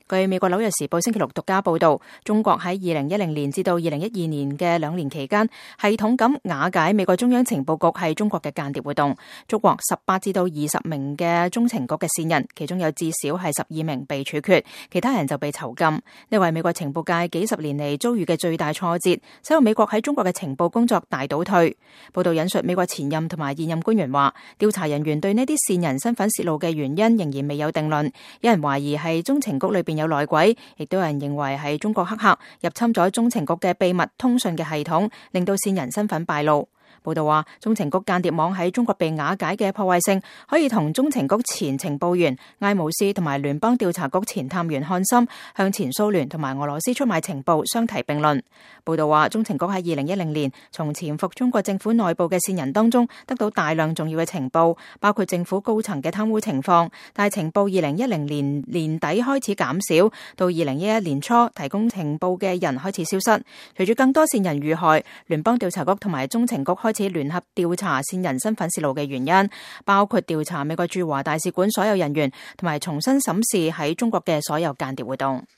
據美國紐約時報星期六獨家報道，中國喺2010年至到2012年嘅2年期間，系統咁瓦解美國中央情報局係中國嘅間諜活動，捉獲18至到20名嘅中情局嘅線人，其中有至少係12名被處決，其他人就被囚禁。呢為美國情報界幾十年嚟遭遇嘅最大挫折，使到美國喺中國嘅情報工作大倒退。報道引述美國前任同埋現任官員話，調查人員對呢啲線人身份洩露嘅原因仍然未有定論，有人懷疑係中情局裏邊有內鬼，亦都有人認為係中國黑客入侵咗中情局嘅秘密通訊嘅系統，令到線人身份敗露。報道話，中情局間諜網喺中國被瓦解嘅破壞性，可以同中情局前情報員艾姆斯同埋聯邦調查局前探員漢森向前蘇聯同埋俄羅斯出賣情報相提並論。報道話，中情局喺2010年從潛伏中國政府內部嘅線人當中得到大量重要嘅情報，包括政府高層嘅貪污情況，但係情報2010年年底開始減少，到2011年初提供情報嘅人開始消失。隨住更多線人遇害，聯邦調查局同埋中情局開始聯合調查線人身份洩露嘅原因，包括調查美國駐華大使館所有人員，同埋重新審視喺中國嘅所有間諜活動。